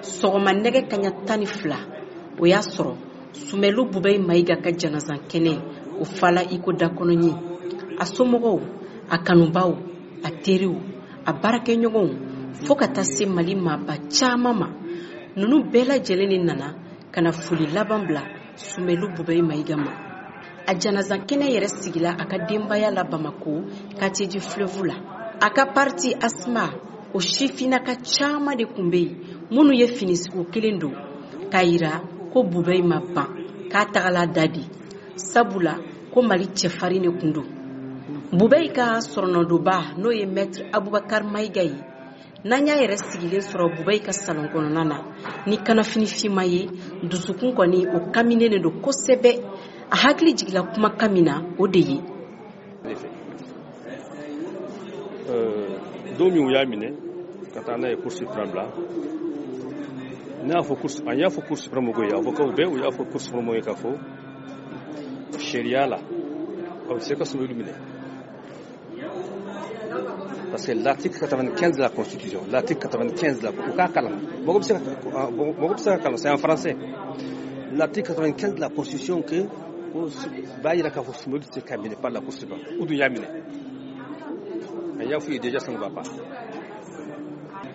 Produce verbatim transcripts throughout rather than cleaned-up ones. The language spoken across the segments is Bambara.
Sɔgɔma nɛgɛ kaɲa tan ni fila, o y'a sɔrɔ Sumɛlu Bubɛyi Mayiga ka janazan kɛnɛ o fala i ko dakɔnɔɲin. A somɔgɔw, a kanubaw, a teriw, a baarakɛɲɔgɔnw, fo ka taa se Mali maaba caman ma, ninnu bɛɛ lajɛlen de nana ka na foli laban bila Sumɛlu Bubɛyi Mayiga ma. A janazan kɛnɛ yɛrɛ sigila a ka denbaya la Bamako, quartier du Fleuve la. A ka parti ASMA, o sifinnaka caman de tun bɛ yen minnu ye finisugu kelen don k'a yira ko Bubɛyi ma ban, k'a tagala da di, sabula ko Mali cɛfarin de tun don. Bubɛyi ka sɔrɔnɔdonba, n'o ye Maître Abubakar Mayiga ye, n'an y'a yɛrɛ sigilen sɔrɔ Bubɛyi ka salon kɔnɔna na ni kanafini finma ye, dusukun kɔni o kaminen de don kosɛbɛ. A hakili jigila kumakan min na, o de ye. Don min u y'a minɛ ka taa n'a ye Cour suprême la, ne y'a fɔ cour, an y'a fɔ Cour suprême mɔgɔw ye, avocat bɛɛ, u y'a fɔ Cour suprême mɔgɔw ye k'a fɔ sariya la, aw tɛ se ka Sumɛlu minɛ, parce que l'article quatre-vingt-quinze de la Constitution, l'article quatre-vingt-quinze de la, u k'a kalan, mɔgɔ bɛ se ka mɔgɔ bɛ se ka kalan, c'est en français, l'article quatre-vingt-quinze de la Constitution que ko b'a yira k'a fɔ Sumɛlu tɛ se ka minɛ par la Cour suprême. U dun y'a minɛ. An y'a f'u ye déjà, ça ne va pas.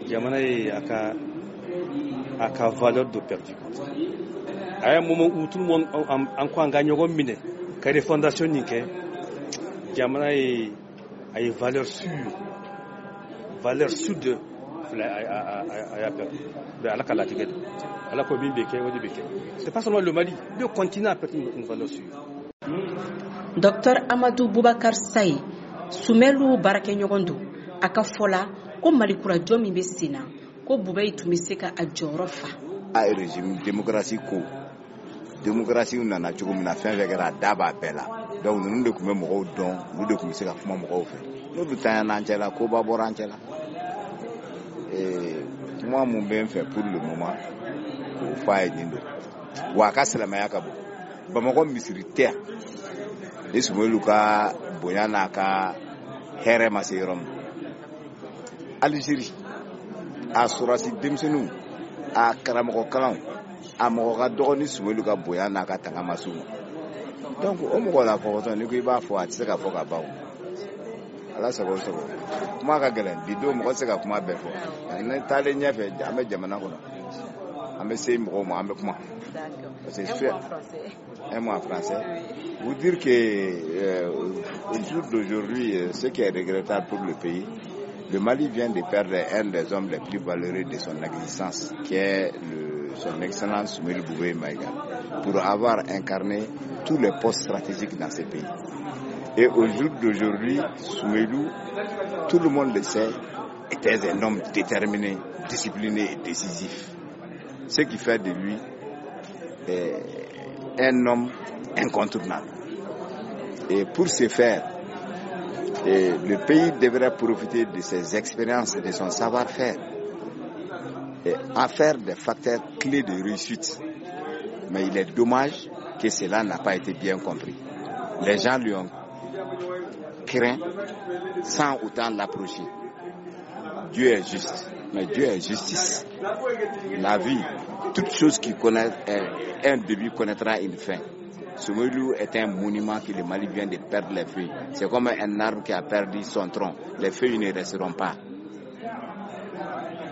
Jamana ye a ka a ka valeur de perdu. À un moment où tout le monde an ko an ka ɲɔgɔn minɛ ka refondation nin kɛ, jamana ye a ye valeur sûre, valeur sûre de filɛ, a y'a perdu. Mais Ala ka latigɛ don, Ala ko min bɛ kɛ, o de bɛ kɛ. C'est pas seulement le Mali, le continent a perdu une valeur sûre. Docteur Amadou Boubacar Saye, Sumɛlu baarakɛɲɔgɔn don, a ka fɔ la ko Malikurajɔ min bɛ sen na, ko Bubɛyi tun bɛ se ka a jɔyɔrɔ fa. A régime démocratie ko démocratie nana cogo min na, fɛn fɛn kɛra, a da b'a bɛɛ la. Donc ninnu de tun bɛ mɔgɔw dɔn, olu de tun bɛ se ka kuma mɔgɔw fɛ. N'olu tanyana an cɛ la, koba bɔra an cɛ la. Kuma mun bɛ n fɛ pour le moment k'o fɔ a ye, nin don wa, a ka silamɛya ka bon. Bamakɔ misiri tɛ yan ni Sumɛlu ka bonya n'a ka hɛrɛ ma se yɔrɔ min. Alizeri a sɔrɔsi denmisɛnninw, a karamɔgɔ kalanw, a mɔgɔ ka dɔgɔ ni Sumɛlu ka bonya n'a ka tanga ma s'u ma. Donc o mɔgɔ la kɔgɔtɔ, n'i ko i b'a fɔ, a tɛ se ka fɔ ka ban o. Ala sago sago, kuma ka gɛlɛn bi don, mɔgɔ tɛ se ka kuma bɛɛ fɔ. Ne taalen ɲɛfɛ, an bɛ jamana kɔnɔ, an bɛ se mɔgɔw ma, an bɛ kuma. Parce que un mot en français. Vous dire que euh, au jour d'aujourd'hui, ce qui est regrettable pour le pays, le Mali vient de perdre un des hommes les plus valeureux de son existence, qui est le, son Excellence Soumeylou Boubèye Maïga, pour avoir incarné tous les postes stratégiques dans ce pays. Et au jour d'aujourd'hui, Soumeylou, tout le monde le sait, était un homme déterminé, discipliné et décisif. Ce qui fait de lui eh, un homme incontournable. Et pour ce faire, et le pays devrait profiter de ses expériences et de son savoir-faire et en faire des facteurs clés de réussite. Mais il est dommage que cela n'a pas été bien compris. Les gens lui ont craint sans autant l'approcher. Dieu est juste, mais Dieu est justice. La vie, toute chose qui connaît un début connaîtra une fin. Soumeylou est un monument que le Mali vient de perdre les feuilles. C'est comme un arbre qui a perdu son tronc. Les feuilles ne resteront pas.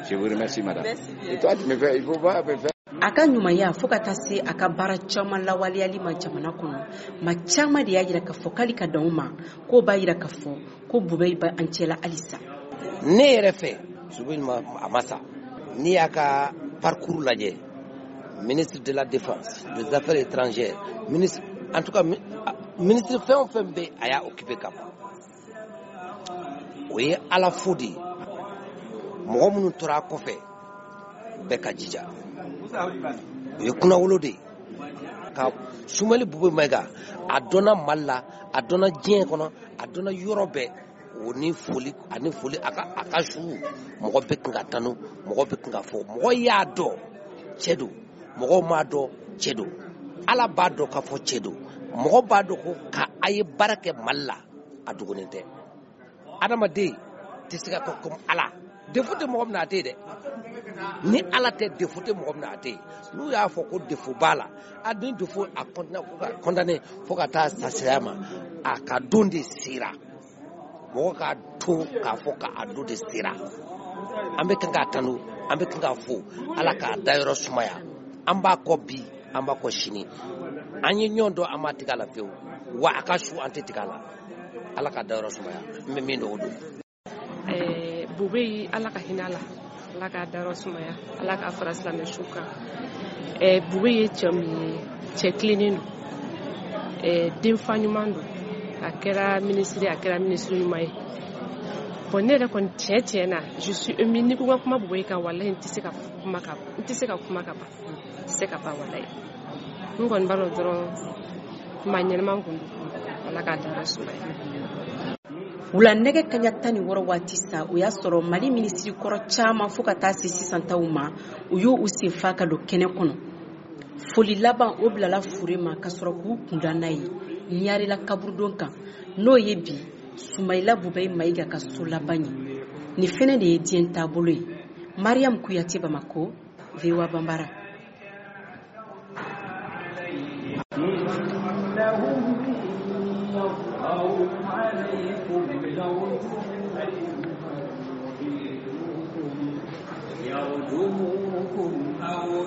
Je vous remercie, madame. Et toi, tu me fais, il faut pas me faire. A ka ɲumanya, fo ka taa se a ka baara caman lawaleyali ma jamana kɔnɔ, ma caman de y'a yira k'a fɔ k'ale ka dan o ma, k'o b'a yira k'a fɔ ko Bubɛyi bɛ an cɛla halisa. Ne yɛrɛ fɛ, Soumeylou ma, a ma sa. N'i y'a ka parcours lajɛ, ministre de la Défense, des Affaires étrangères, ministre, en tout cas ministre fɛn o fɛn bɛ, a y'a occupé ka ban. O ye Ala fo de ye. Mɔgɔ minnu tora a kɔfɛ, bɛɛ ka jija, o ye kunnawolo de ye ka Sumɛli Bube Mayiga, a dɔnna Mali la, a dɔnna diɲɛ kɔnɔ, a dɔnna yɔrɔ bɛɛ. O ni foli ani foli, a ka a ka su, mɔgɔ bɛ kan ka tanu, mɔgɔ bɛ kan ka fɔ, mɔgɔ y'a dɔn cɛ don, mɔgɔw m'a dɔn cɛ don, Ala b'a dɔn k'a fɔ cɛ don, mɔgɔ b'a dɔn ko ka a ye baara kɛ Mali la, a dogolen tɛ adamaden. tɛ se ka kɛ comme Ala. Défaut tɛ mɔgɔ min na a tɛ yen dɛ. Ni Ala tɛ, défaut tɛ mɔgɔ min na a tɛ yen. N'u y'a fɔ ko défaut b'a la, a ni défaut a condamné fo ka condamné fo ka taa sa saya ma, a ka don de sera. Mɔgɔ k'a to k'a fɔ k'a don de sera. An bɛ kan k'a tanu, an bɛ kan k'a fo, Ala k'a dayɔrɔ sumaya. An b'a kɔ bi, an b'a kɔ sini. An ye ɲɔgɔn dɔn, an m'a tigɛ a la fiyewu. Wa a ka su an tɛ tigɛ a la. Ala k'a dayɔrɔ sumaya. N bɛ min dɔn o don. Ɛɛ Bubɛyi, Ala ka hinɛ a la, Ala k'a dayɔrɔ sumaya, Ala k'a fara silamɛ su kan. Ɛɛ Bubɛyi ye cɛ min ye, cɛ tilennen don, ɛɛ denfa ɲuman don, a kɛra minisiri, a kɛra minisiri ɲuman ye. Bon, ne yɛrɛ kɔni tiɲɛ tiɲɛ na, je suis émue. N'i ko n ka kuma Bubɛyi kan, walahi n tɛ se ka kuma ka n tɛ se ka kuma ka ban, n tɛ se ka ban walahi. N kɔni b'a dɔn dɔrɔn maa ɲɛnɛman kun don, Ala k'a dayɔrɔ sumaya. Wula nɛgɛ kaɲa tan ni wɔɔrɔ waati sa, o y'a sɔrɔ Mali minisiri kɔrɔ caman fo ka taa se sisan taw ma, u y'u u sen fa ka don kɛnɛ kɔnɔ. Foli laban o bilala fure ma ka sɔrɔ k'u kunda n'a ye Ɲarela kaburudon kan, n'o ye bi Sumayila Bubɛyi Mayiga ka so laban ye. Nin fɛnɛ de ye diɲɛ taabolo ye. Mariam Kuyate, Bamako, V O A Bambara. يرجموكم أو